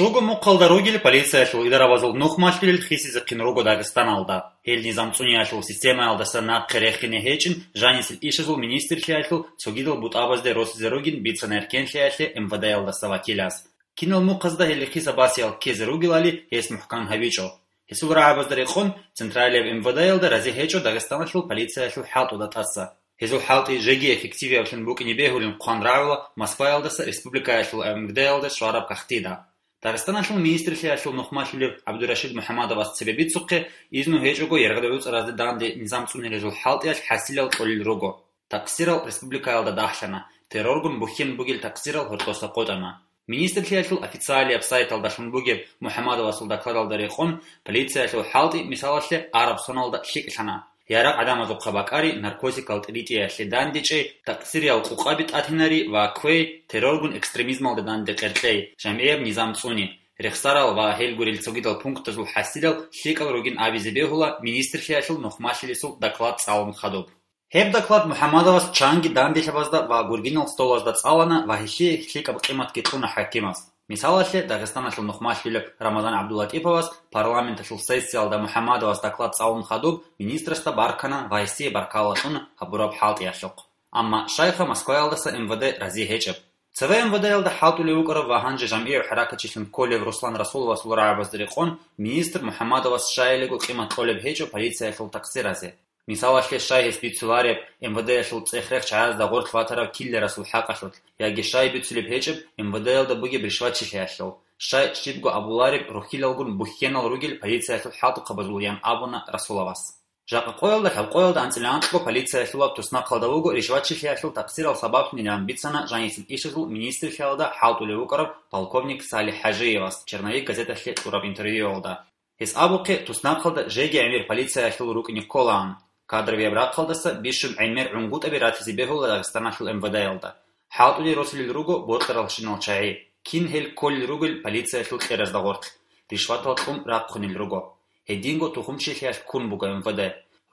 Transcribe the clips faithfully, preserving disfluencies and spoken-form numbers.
Руго мухъалда ругел полициялъул идарабазул нухмалъулел хисизехъин руго Дагъистаналда. Гьел низам цӀуниялъул системаялдаса нахъе рехине гьечӀин, жанисел ишазул министрлъиялъул цогидал бутӀабазде росизе ругин бицана эркенлъиялъе МВД-ялдаса вакилас. Кинал мухъазда гьел хиса-басиял ккезе ругелали гьес мухӀкан гьабичӀо. Гьесул рагӀабазда рекъон, централияб МВД-ялда рази гьечӀо Дагъистаналъул полициялъул хӀалтӀуда тӀаса. Гьезул хӀалтӀи жеги эффективиявлъун букӀине бегьулин хъван рагӀула Москваялдаса республикаялъул МВД-ялда щвараб кагътида. Дагъистаналъул министрлъиялъул нухмалъулев ГӀабдурашид МухӀаммадовас цебе бицухъе, изну гьечӀого яргъад гӀуцӀаразде данде низам цӀунилезул хӀалтӀиялъ хӀасилал кьолел руго. Такъсирал республикаялда дагьлъана, терроргун бухьен бугел такъсирал гьоркьоса къотӀана. Министрлъиялъул официалияб сайталдалъун бугеб МухӀаммадовасул докладалда рекъон, полициялъул хӀалтӀи, мисалалъе, араб соналда лъикӀлъана. Ярагъ гӀадамазухъа бакӀари, наркотикал тӀиритӀиялъе дандечӀей, такъсириял къукъаби тӀатинари ва квей, терроргун экстремизмалда данде къеркьей, жамгӀияб низам цӀуни, рехсарал ва гьел гурел цогидал пунктазул хӀасилал лъикӀал ругин абизе бегьула министрлъиялъул нухмалъилесул доклад цӀалун хадуб. Гьеб доклад МухӀаммадовас чанги данделъабазда ва гургинал столазда цӀалана ва гьелъие лъикӀаб къиматги кьуна хӀакимас. Мисалалъе, Дагъистаналъул нухмалъулеб Рамазан ГӀабдуллатӀиповас парламенталъул сессиялда МухӀаммадовас доклад цӀалун хадуб, министрасда баркана ва гьесие баркалла кьуна гьабураб хӀалтӀиялъухъ. Амма щайха Москваялдаса МВД рази гьечӀеб. Цеве МВД-ялда хӀалтӀулев вукӀарав ва гьанже жамгӀияв хӀаракатчилъун кколев Руслан Расуловасул рагӀабазда рекъон, министр МухӀаммадовас щайилего къимат кьолеб гьечӀо полициялъул такъсиразе. Мисалалъе, щай гьес бицулареб, МВД-ялъул цӀех-рех чагӀазда гъорлъ ватарав киллерасул хӀакъалъулъ, яги щай бицулеб гьечӀеб МВД-ялда бугеб ришватчилъиялъул, щай щибго абулареб рухьилалгун бухьенал ругел полициялъул хӀалтӀухъабазул, ян абуна Расуловас. Жакъа къоялда лъабкъоялда анцӀила анкьго полициялъулаб туснахъалда вуго ришватчилъиялъул такъсирал сабаблъунилан бицана жанисел ишазул министрлъиялда хӀалтӀулев вукӀарав полковник Салих ХӀажиевас «Черновик» газеталъе кьураб интервьюялда. Гьес абухъе, туснахъалда жеги гӀемер полициялъул рукӀине кколаан. Кадровияб рахъалдаса бищун гӀемер гӀунгутӀаби ратизе бегьула Дагъистаналъул МВД-ялда. ХӀалтӀулел росулел руго бокьаралщинал чагӀи. Кин гьел кколел ругел полициялъул кьеразда гъорлъ, ришватал кьун рахъунел руго. Гьединго тухумчилъиялъ ккун буго МВД.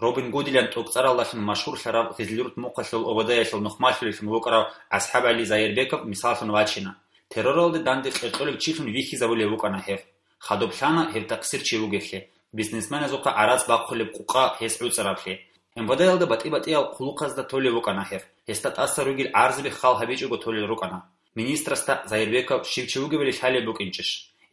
Робин Гудилан тӀокӀцӀаралдалъун машгьурлъарав Гъизлирут мухъалъул ОВД-ялъул нухмалъулеллъун вукӀарав АсхӀабгӀали Зайирбеков мисаллъун вачина. Терроралде данде къеркьолев чилъун вихьизабулев вукӀана гьев. Хадуб лъана гьев такъсир чи вугевлъи, бизнесменазухъа гӀарац бахъулеб къукъа гьес гӀуцӀаравлъи. МВД-ялда батӀи-батӀиял хъулухъазда толев вукӀана гьев. Гьесда тӀаса ругел гӀарзаби хал гьабичӀого толел рукӀана. Министрасда Зайирбеков щив чи вугевали лъалеб букӀинчӀищ?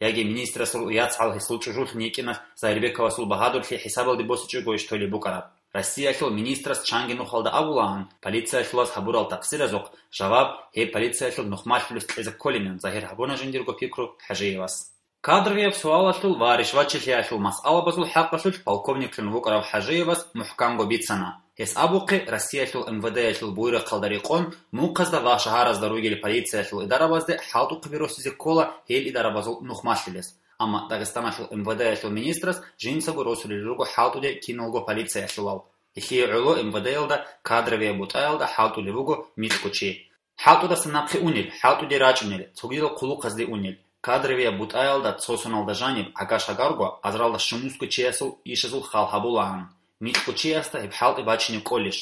Яги министрасул яцгӀал гьесул чӀужулъун йикӀиналъ Зайирбековасул багьадурлъи хӀисабалде босичӀогойищ толеб букӀараб? Россиялъул министрас чанги нухалда абулаан, полициялъулас гьабурал такъсиразухъ жаваб гьеб полициялъул нухмалъулес кьезе кколинан загьир гьабуна жиндирго пикру ХӀажиевас. Кадровияб суалалъул ва ришватчилъиялъул масъалабазул хӀакъалъулъ полковниклъун вукӀарав ХӀажиевас мухӀканго бицана. Гьес абухъе, Россиялъул МВД-ялъул буйрахъалда рекъон, мухъазда ва шагьаразда ругел полициялъул идарабазде хӀалтӀухъаби росизе ккола гьел идарабазул нухмалъулес. Амма Дагъистаналъул МВД-ялъул министрас жинцаго росулел руго хӀалтӀуде киналго полициялъулал. Гьелъие гӀоло МВД-ялда кадровияб бутӀаялда хӀалтӀулев вуго микьго чи. ХӀалтӀудаса нахъе унел, хӀалтӀуде рачӀунел, цогидал хъулухъазде унел, кадровияб бутӀаялда цо соналда жаниб гӀага-шагарго азаралда щунусго чиясул ишазул хал гьабулаан, микьго чиясда гьеб хӀалтӀи бачине кӀолищ?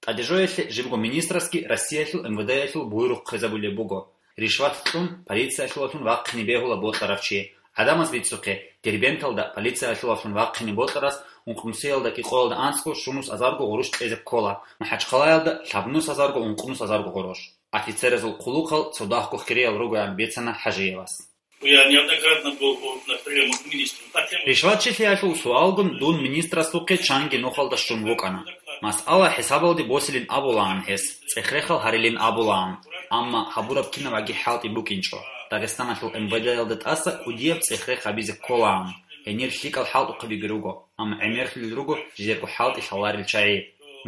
ТӀаде жоялъе жибго министрасги Россиялъул МВД-ялъул буйрухъ хъезабулеб буго. Ришват кьун полициялъулалъун вахъине бегьула бокьарав чи. ГӀадамаз бицухъе, Дербенталда полициялъулалъун вахъине бокьарас ункънусиялда кӀикъоялда анцӀго щунус азарго гъурущ кьезе ккола, МахӀачхъалаялда лъабнус азарго ункънус азарго гъурущ. Офицеразул хъулухъал цо дагьго хириял ругоян бицана ХӀажиевас. Я неоднократно был у- на приёмах к министру. По тему Ришватчилъиялъул суалгун дун министрасухъе чанги нухалда щун вукӀана. Масъала хӀисабалде босилин абулаан гьес, цӀех-рехал гьарилин абулаан, амма гьабураб кинабаги хӀалтӀи букӀинчӀо. Дагъистаналъул МВД-ялда тӀаса кӀудияб цӀех-рех гьабизе кколаан, гьенир лъикӀал хӀалтӀухъабиги руго, амма гӀемерлъулел руго жидерго хӀалтӀи лъаларел чагӀи.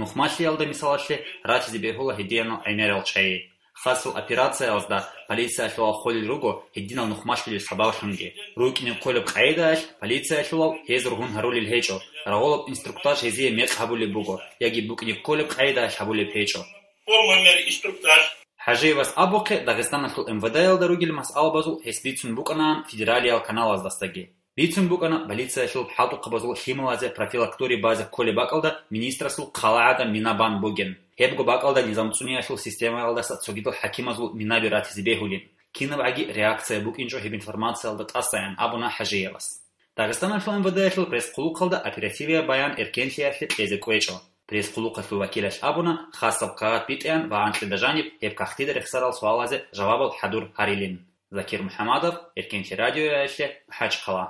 Нухмалъиялда, мисалалъе, ратизе бегьула гьединал гӀемерал чагӀи. Хасал операциялазда полициялъулал холел руго гьединал нухмалъулел сабаблъунги. РукӀине кколеб къагӀидаялъ полициялъулал гьез ругьун гьарулел гьечӀо, рагъулаб инструктаж гьезие мекъ гьабулеб буго яги букӀине кколеб къагӀидаялъ гьабулеб гьечӀо. Полный мер инструктаж. ХӀажиевас абухъе, Дагъистаналъул МВД-ялда ругел масъалабазул гьес бицун букӀанаан федералиял каналаздасаги. Бицун букӀана полициялъул хӀалтӀухъабазул лъималазе профилакторий базе кколеб бакӀалда министрасул хъалагӀада мина бан бугин. Гьебго бакӀалда низам цӀуниялъул системаялдаса цогидал хӀакимазул минаби ратизе бегьулин. кинабгӀаги реакция букӀинчӀо гьеб информациялда тӀасаян абуна ХӀажиевас. Дагъистаналъул МВД-ялъул пресс-хъулухъалда оперативияб баян эркенлъиялъе кьезе кӀвечӀо. Пресс-хъулухъалъул вакилалъ абуна хасаб кагъат битӀеян ва анкьида жаниб гьеб кагътида рехсарал суалазе жавабал хӀадур гьарилин. Закир МухӀамадов, Эркенлъи радиоялъе, МахӀачхъала.